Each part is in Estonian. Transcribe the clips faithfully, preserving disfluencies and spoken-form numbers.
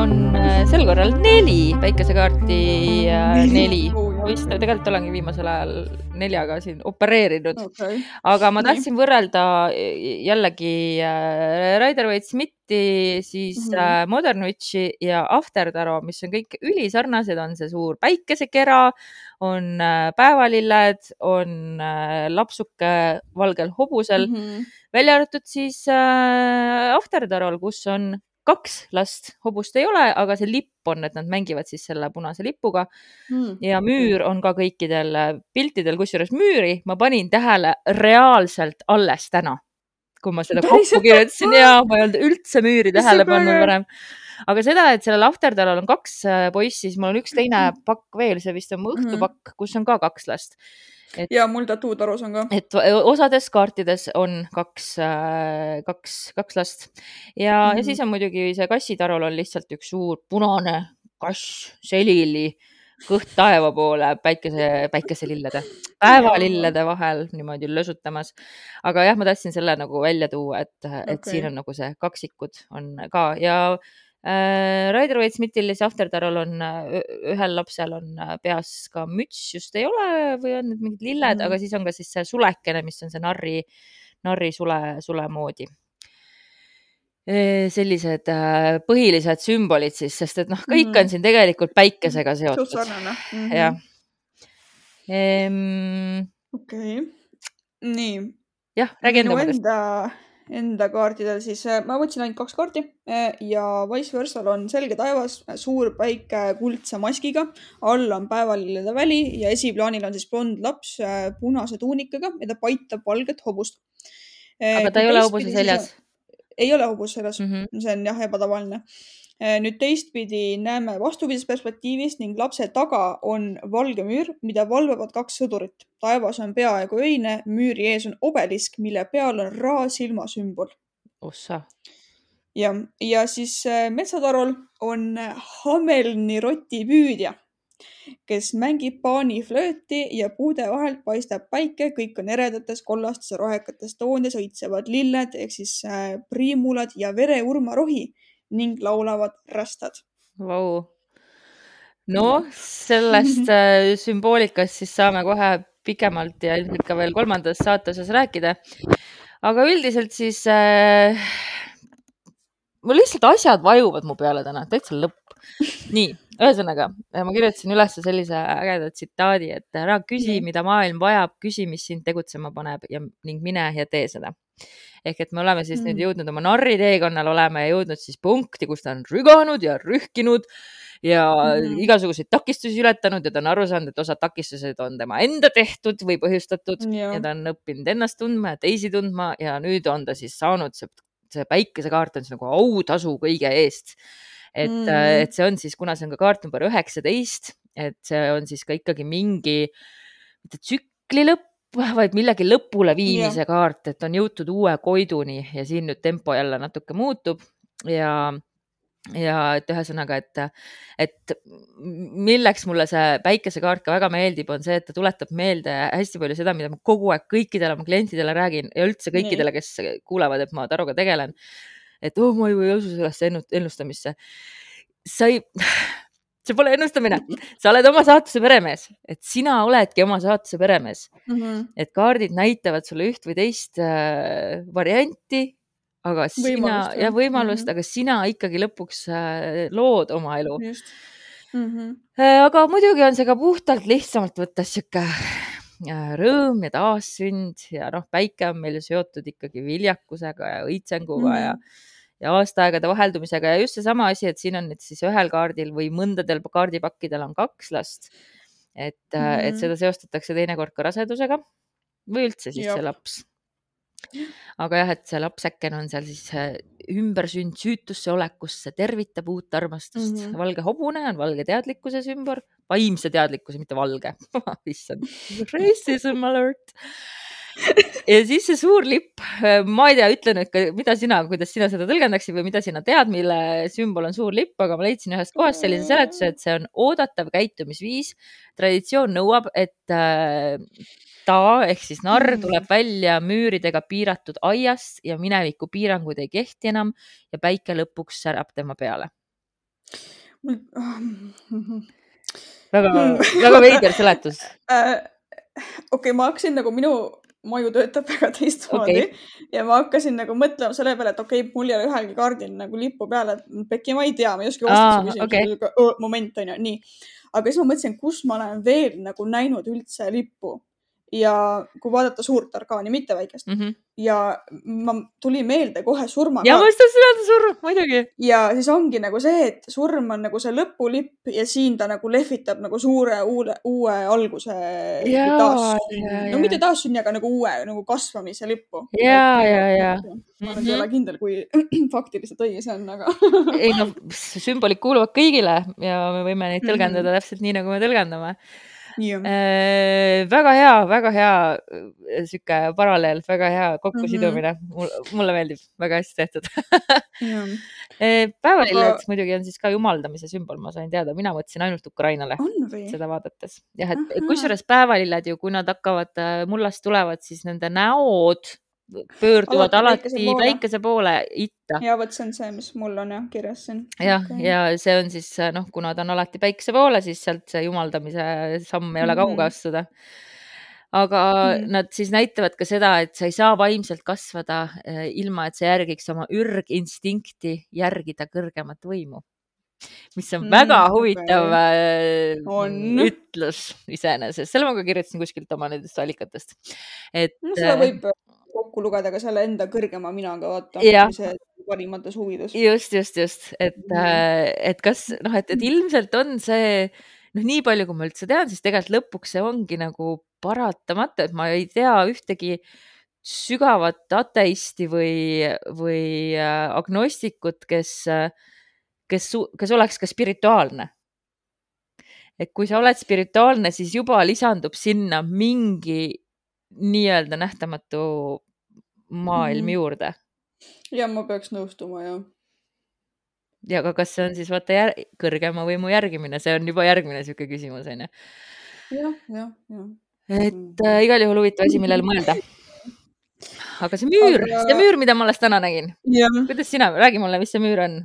on sel korral neli päikesekaarti ja neli. Vist tegelikult olengi viimasel ajal neljaga siin opereerinud. Okay. Aga ma Nii. tahtsin võrrelda jällegi Rider-Waite-Smithi, siis Mhm. mm-hmm. Modern Witchi ja Afterdaro, mis on kõik ülisarnased, on see suur päikesekera, on päevalilled, on lapsuke valgel hobusel, Mhm. välja arvatud siis Afterdarol, kus on kaks last, hobust ei ole, aga see lipp on, et nad mängivad siis selle punase lipuga Mm. ja müür on ka kõikidel piltidel, kusjuures müüri ma panin tähele reaalselt alles täna, kui ma seda Päriselt? kokku kirjutasin ja ma ei olnud üldse müüri Mis tähele see pannud päev? varem. Aga seda, et sellel Afterdarol on kaks poissi, siis mul on üks teine pakk veel, see vist on mu õhtupakk, kus on ka kaks last. Et, ja mul tatuutarus on ka. et osades kaartides on kaks, kaks, kaks last ja, Mhm. ja siis on muidugi see kassitarol on lihtsalt üks suur punane kass, selili, kõht taeva poole päikese, päikeselillede, päevalillede vahel niimoodi lösutamas. Aga jah, ma tahtsin selle nagu välja tuua, et, et Okay. siin on nagu see kaksikud on ka ja äh, Rider-Waite-Smithil ja Afterdarol on ühel lapsel on peas ka müts, just ei ole või on need mingid lilled, Mhm. aga siis on ka siis see sulekene, mis on see narri, narri sule, sule moodi. Sellised põhilised sümbolid siis, sest et noh, kõik Mhm. on siin tegelikult päikesega Suht seotud. sarnane. Mhm. Jah. Ehm, Okei. Nii. jah, räägi enda Minu mõttest. enda, enda kaartidel siis äh, ma võtsin ainult kaks kaarti äh, ja vice versa on selge taevas, suur päike kuldse maskiga, all on päevalillede väli ja esiplaanil on siis blond laps äh, punase tuunikaga ja ta paitab valget hobust. Äh, Aga ta kui ei ole teistpidi hobuse siis seljas. on- Ei ole hobus seljas. Mhm. See on jah ebatavaline. Äh, Nüüd teistpidi näeme vastupidisest perspektiivist ning lapse taga on valge müür, mida valvavad kaks sõdurit. Taevas on peaaegu öine, müüri ees on obelisk, mille peal on raasilma sümbol. Ossa. Ja, ja siis äh, metsatarol on Hamelni rotipüüdja, kes mängib paaniflööti ja puude vahelt paistab päike, kõik on eredates, kollastes ja rohekates toonides, õitsevad lilled ehk siis äh, priimulad ja vereurmarohi ning laulavad rästad. Vau. No, sellest äh, sümboolikast siis saame kohe pikemalt ja ilmselt ka veel kolmandas saatoses rääkida. Aga üldiselt siis äh, mul lihtsalt asjad vajuvad mu peale täna, täitsa lõpp. Nii, ühesõnaga, ma kirjutasin üles sellise ägeda tsitaadi, et ära küsi, Nii. mida maailm vajab, küsi, mis sind tegutsema paneb ja, ning mine ja tee seda. Ehk et me oleme siis Mm. nüüd jõudnud oma narri teekonnal, oleme jõudnud siis punkti, kus ta on rüganud ja rühkinud ja Mhm. igasuguseid takistusi ületanud ja ta on aru saanud, et osad takistused on tema enda tehtud või põhjustatud Ja. ja ta on õppinud ennast tundma ja teisi tundma ja nüüd on ta siis saanud see, see päikesekaart on siis nagu autasu kõige eest. Et, Mm. et see on siis, kuna see on ka kaart number üheksateist, et see on siis ka ikkagi mingi mitte tsükli lõpp, vaid millegi lõpule viimise Ja. kaart, et on jõutud uue koiduni ja siin nüüd tempo jälle natuke muutub ja ja et ühesõnaga, et, et milleks mulle see päikesekaart ka väga meeldib, on see, et ta tuletab meelde hästi palju seda, mida ma kogu aeg kõikidele oma klientidele räägin ja üldse kõikidele, kes kuulevad, et ma taruga tegelen. Et oh, ma ju ei usu sellesse ennustamisse. Sa ei, see pole ennustamine. Sa oled oma saatuse peremees, et sina oledki oma saatuse peremees. Mhm. Et kaardid näitavad sulle üht või teist äh, varianti, aga sina Võimalust, ja jah. võimalust, Mhm. aga sina ikkagi lõpuks äh, lood oma elu. Just. Mhm. Äh, aga muidugi on see ka puhtalt lihtsamalt võttes siuke äh, rõõm ja taassünd ja noh, päike on meil ju seotud ikkagi viljakusega ja õitsenguga Mhm. ja, ja aastaaegade vaheldumisega ja just seesama asi, et siin on nüüd siis ühel kaardil või mõndadel kaardipakkidel on kaks last. Et, äh, et Mhm. seda seostatakse teinekord ka rasedusega või üldse siis Jop. see laps. Aga jah, et see lapseken on seal siis äh, ümbersünd süütusse olekusse, tervitab uut armastust. Mhm. Valge hobune on valge teadlikkuse sümbol, vaimse teadlikkuse, mitte valge. Issand, racism alert. Ja siis see suur lipp, ma ei tea, ütle nüüd, ka, mida sina, kuidas sina seda tõlgendaksid või mida sina tead, mille sümbol on suur lipp, aga ma leidsin ühest kohast sellise seletuse, et see on oodatav käitumisviis. Traditsioon nõuab, et äh, ta ehk siis narr tuleb välja müüridega piiratud aiast ja mineviku piirangud ei kehti enam ja päike lõpuks särab tema peale. väga, väga veider seletus. Okei, ma hakkasin nagu minu maju töötab väga teistmoodi okay. ja ma hakkasin nagu mõtlema selle peale, et okei okay,, mul ei ole ühelgi kaardil nagu lippu peale, et Pekki, ma ei tea, ma ei oska vastata su küsimusele, okay. moment on ju, nii. Aga siis ma mõtlesin, kus ma olen veel nagu näinud üldse lippu ja kui vaadata suurt orkaani, mitte väikest. Mm -hmm. Ja ma tuli meelde kohe surma. Ja ma tahtsin öelda surm, muidugi. Ja siis ongi nagu see, et surm on nagu see lõpulipp ja siin ta nagu lehvitab nagu suure uue, uue alguse ja, taassünni. No mitte taassünni, aga nagu uue nagu kasvamise lippu. Ja, ja, ja. Ma olen mm -hmm. ei ole kindel, kui faktiliselt õige see on, aga... ei no, sümbolid kuuluvad kõigile ja me võime neid tõlgendada mm -hmm. täpselt nii, nagu me tõlgendame. Äh, väga hea, väga hea siuke paralleel, väga hea kokkusidumine. Mm -hmm. Mulle meeldib, väga hästi tehtud. Päevalilled aga... muidugi on siis ka jumaldamise sümbol, ma sain teada. Mina mõtlesin ainult Ukrainale seda vaadates. Jah, et kusjuures päevalilled ju, kui nad hakkavad mullast tulevad, siis nende näod pöörduvad alati, alati päikese, päikese poole itta. Ja võt see on see, mis mul on jah kirjas siin. Jah, okay. Ja see on siis, noh, kuna ta on alati päikese poole, siis sealt see jumaldamise samm ei ole kauge astuda. Aga mm. nad siis näitavad ka seda, et sa ei saa vaimselt kasvada ilma, et sa järgiks oma ürginstinkti järgida kõrgemat võimu. Mis on mm, väga huvitav okay. on. ütlus iseenesest. Selle ma ka kirjutasin kuskilt oma nendest allikatest. Et, no seda võib kokku lugeda ka selle enda kõrgema minaga, vaata, see parimates huvides. Just, just, just. Et, mm. et kas, noh, et, et ilmselt on see, noh, nii palju, kui ma üldse tean, siis tegelikult lõpuks see ongi nagu paratamata, et ma ei tea ühtegi sügavat ateisti või, või agnostikut, kes, kes, kes oleks ka spirituaalne. Et kui sa oled spirituaalne, siis juba lisandub sinna mingi nii-öelda nähtamatu maailm mm -hmm. juurde. Ja ma peaks nõustuma, jah. Ja aga kas see on siis vaata jär... kõrgema võimu järgimine, see on juba järgmine siuke küsimus, on ju. Jah, jah, jah. Et äh, igal juhul huvitav asi, millele mõelda. Aga see müür, aga... see müür, mida ma alles täna nägin. Kuidas sina, räägi mulle, mis see müür on?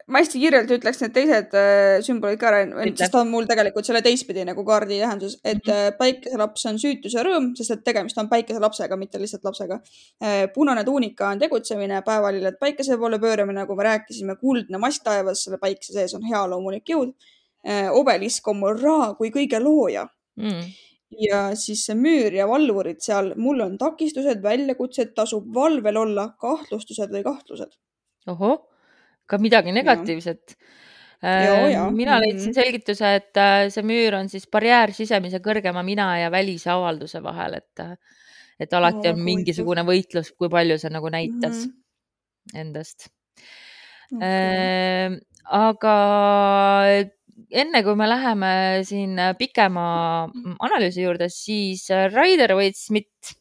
Ma hästi kiirelt ütleks need teised äh, sümbolid ka, sest ta on mul tegelikult selle teistpidi nagu kaardi tähendus, et mm -hmm. päikeselaps on süütus ja rõõm, sest et tegemist on päikeselapsega, mitte lihtsalt lapsega. Äh, punane tuunika on tegutsemine, päevalilled päikese poole pööramine, nagu me rääkisime, kuldne mast taevas, selle päikese sees on hea loomulik jõud. Äh, obelisk on mul Ra kui kõige looja. Mm. Ja siis see müür ja valvurid seal, mul on takistused, väljakutsed, tasub valvel olla, kahtlustused või kahtlused. Oho. Ka midagi negatiivset. Ja, ja. Mina leidsin selgituse, et see müür on siis barjäär sisemise kõrgema mina ja välise avalduse vahel, et, et alati on mingisugune võitlus, kui palju see nagu näitas mm -hmm. endast. Okay. Aga enne kui me läheme siin pikema analüüsi juurde, siis Rider-Waite-Smith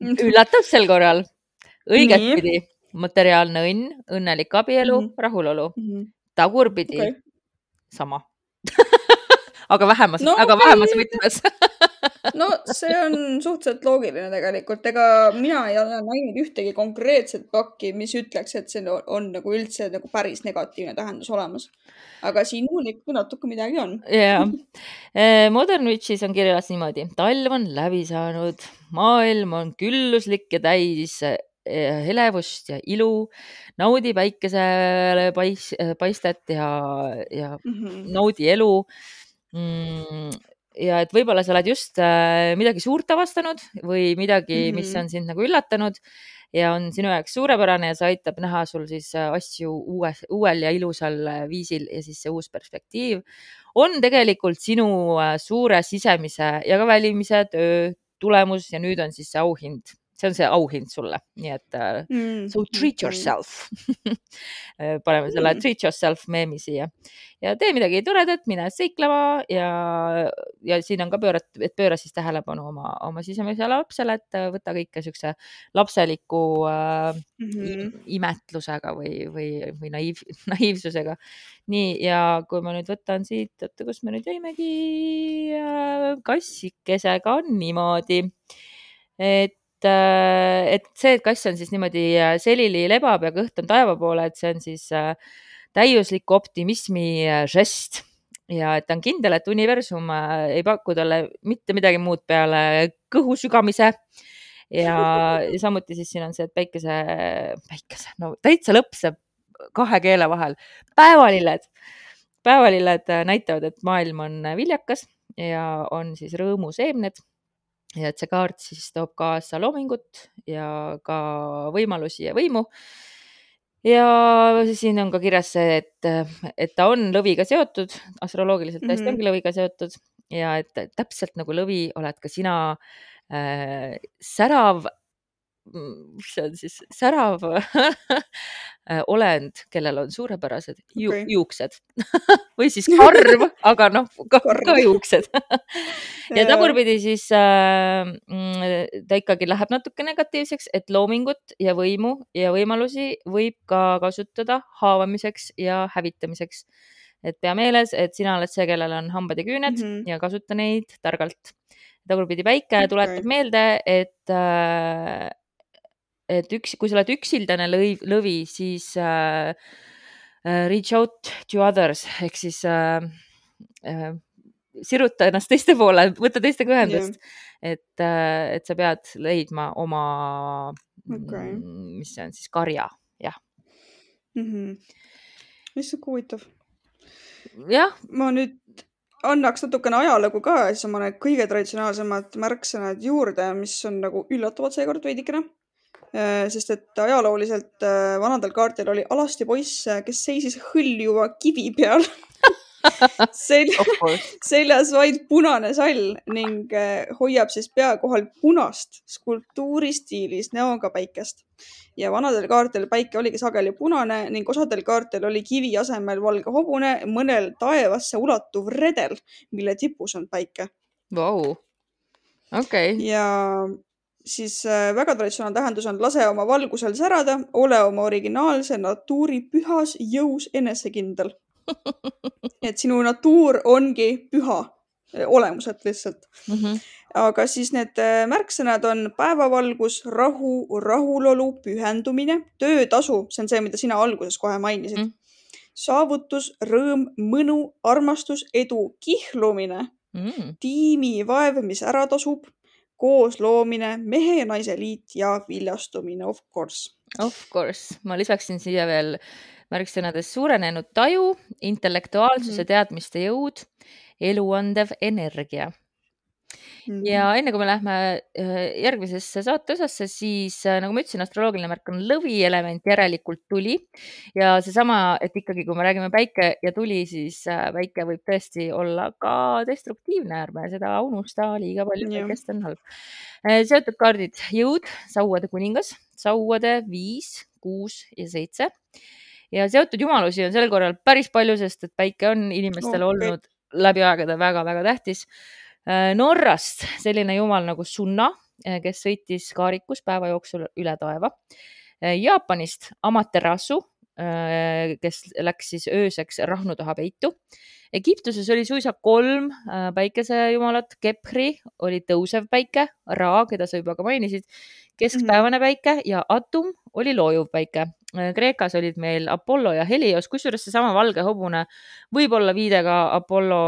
üllatab sel korral õiget pidi. Materiaalne õnn, õnnelik abielu, mm -hmm. rahulolu. Mm -hmm. Tagurpidi okay. sama. aga vähemas, no, aga okay. vähemas võtmes. no see on suhteliselt loogiline tegelikult. Ega mina ei ole näinud ühtegi konkreetset pakki, mis ütleks, et see on, on nagu üldse nagu päris negatiivne tähendus olemas. Aga siin mul ikka natuke midagi on. Jaa. Modern Witches on kirjas niimoodi. Talv on läbi saanud. Maailm on külluslik ja täis helevust ja ilu, naudi päikesele pais, paistet ja, ja mm -hmm. naudi elu. Ja et võib-olla sa oled just midagi suurt avastanud või midagi, mm -hmm. mis on sind nagu üllatanud ja on sinu jaoks suurepärane ja see aitab näha sul siis asju uue, uuel ja ilusal viisil ja siis see uus perspektiiv on tegelikult sinu suure sisemise ja ka välimise töö tulemus ja nüüd on siis see auhind. See on see auhind sulle, nii et mm. so treat yourself. Paneme selle mm. treat yourself meemi siia ja tee midagi toredat, mine seiklema ja, ja siin on ka pöörat, et pööra siis tähelepanu oma, oma sisemisele lapsele, et võta kõike siukse lapseliku äh, mm -hmm. imetlusega või, või, või naiiv, naiivsusega. Nii, ja kui ma nüüd võtan siit, oota, kus me nüüd jäimegi äh, kassikesega on niimoodi, et et see, et kass on siis niimoodi selili lebab ja kõht on taeva poole, et see on siis täiusliku optimismi žest ja et ta on kindel, et universum ei paku talle mitte midagi muud peale kõhu sügamise ja, ja samuti siis siin on see, et päikese, päikese, no täitsa lõpseb kahe keele vahel. Päevalilled, päevalilled näitavad, et maailm on viljakas ja on siis rõõmuseemned ja et see kaart siis toob kaasa loomingut ja ka võimalusi ja võimu. Ja siin on ka kirjas see, et, et ta on lõviga seotud, astroloogiliselt täiesti Mhm. ongi lõviga seotud ja et täpselt nagu lõvi oled ka sina äh, särav, mis see on siis, särav olend, kellel on suurepärased ju, Okei. juuksed või siis karv, aga noh, ka, Karv. ka juuksed. ja Jaa. tagurpidi siis äh, mm, ta ikkagi läheb natuke negatiivseks, et loomingut ja võimu ja võimalusi võib ka kasutada haavamiseks ja hävitamiseks. Et pea meeles, et sina oled see, kellel on hambad ja küüned Mhm. ja kasuta neid targalt. tagurpidi päike Okei. tuletab meelde, et äh, et üks, kui sa oled üksildane lõi, lõvi, siis äh, äh, reach out to others ehk siis äh, äh, siruta ennast teiste poole, võta teistega ühendust, et, äh, et sa pead leidma oma, Okei. mis see on siis, karja, jah. Mhm. Issand, kui huvitav. jah, Ma nüüd annaks natukene ajalugu ka, siis oma need kõige traditsionaalsemad märksõnad juurde, mis on nagu üllatavad seekord veidikene. Äh, Sest et ajalooliselt äh, vanadel kaartil oli alasti poiss, äh, kes seisis hõljuva kivi peal. Sel of course. seljas vaid punane sall ning äh, hoiab siis pea kohal punast skulptuuristiilis näoga päikest. Ja vanadel kaartel päike oligi sageli punane ning osadel kaartel oli kivi asemel valge hobune, mõnel taevasse ulatuv redel, mille tipus on päike. Vau, okei. Ja siis äh, väga traditsionaalne tähendus on lase oma valgusel särada, ole oma originaalse natuuri pühas jõus enesekindel. Et sinu natuur ongi püha äh, olemuselt lihtsalt. Mhm. Aga siis need äh, märksõnad on päevavalgus, rahu, rahulolu, pühendumine, töötasu, see on see, mida sina alguses kohe mainisid. Mm. Saavutus, rõõm, mõnu, armastus, edu, kihlumine, Mm. tiimivaev, mis ära tasub, koos loomine, mehe ja naise liit ja viljastumine, of course. Of course, ma lisaksin siia veel märksõnades suurenenud taju, intellektuaalsuse, Mhm. teadmiste jõud, eluandev energia. Mhm. Ja enne kui me lähme äh, järgmisesse saate osasse, siis äh, nagu ma ütlesin, astroloogiline märk on lõvi element, järelikult tuli. Ja seesama, et ikkagi kui me räägime päike ja tuli, siis äh, päike võib tõesti olla ka destruktiivne, ärme seda unusta liiga palju, Jah. päikest on halb. Äh, Seotud kaardid, jõud, sauade kuningas, sauade viis, kuus ja seitse. Ja seotud jumalusi on sel korral päris palju, sest et päike on inimestele Okei. olnud läbi aegade väga-väga tähtis. Äh, Norrast selline jumal nagu Sunna, äh, kes sõitis kaarikus päeva jooksul üle taeva. Äh, Jaapanist Amaterasu, äh, kes läks siis ööseks rahnu taha peitu. Egiptuses oli suisa kolm äh, päikesejumalat. Kepri oli tõusev päike, Ra, keda sa juba ka mainisid, keskpäevane päike ja Atum oli loojuv päike. Äh, Kreekas olid meil Apollo ja Helios, kusjuures seesama valge hobune võib olla viide ka Apollo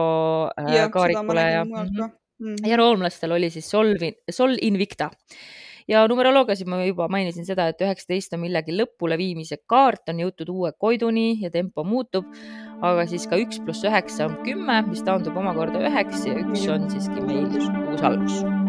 äh, Jah, seda ma kaarikule ja, nägin mujalt mhm. ka. Mhm. ja roomlastel oli siis Sol, Sol Invicta. Ja numeroloogias ma juba mainisin seda, et üheksateist on millegi lõpule viimise kaart, on jõutud uue koiduni ja tempo muutub, aga siis ka üks pluss üheksa on kümme, mis taandub omakorda üheks ja üks on siiski meil uus algus.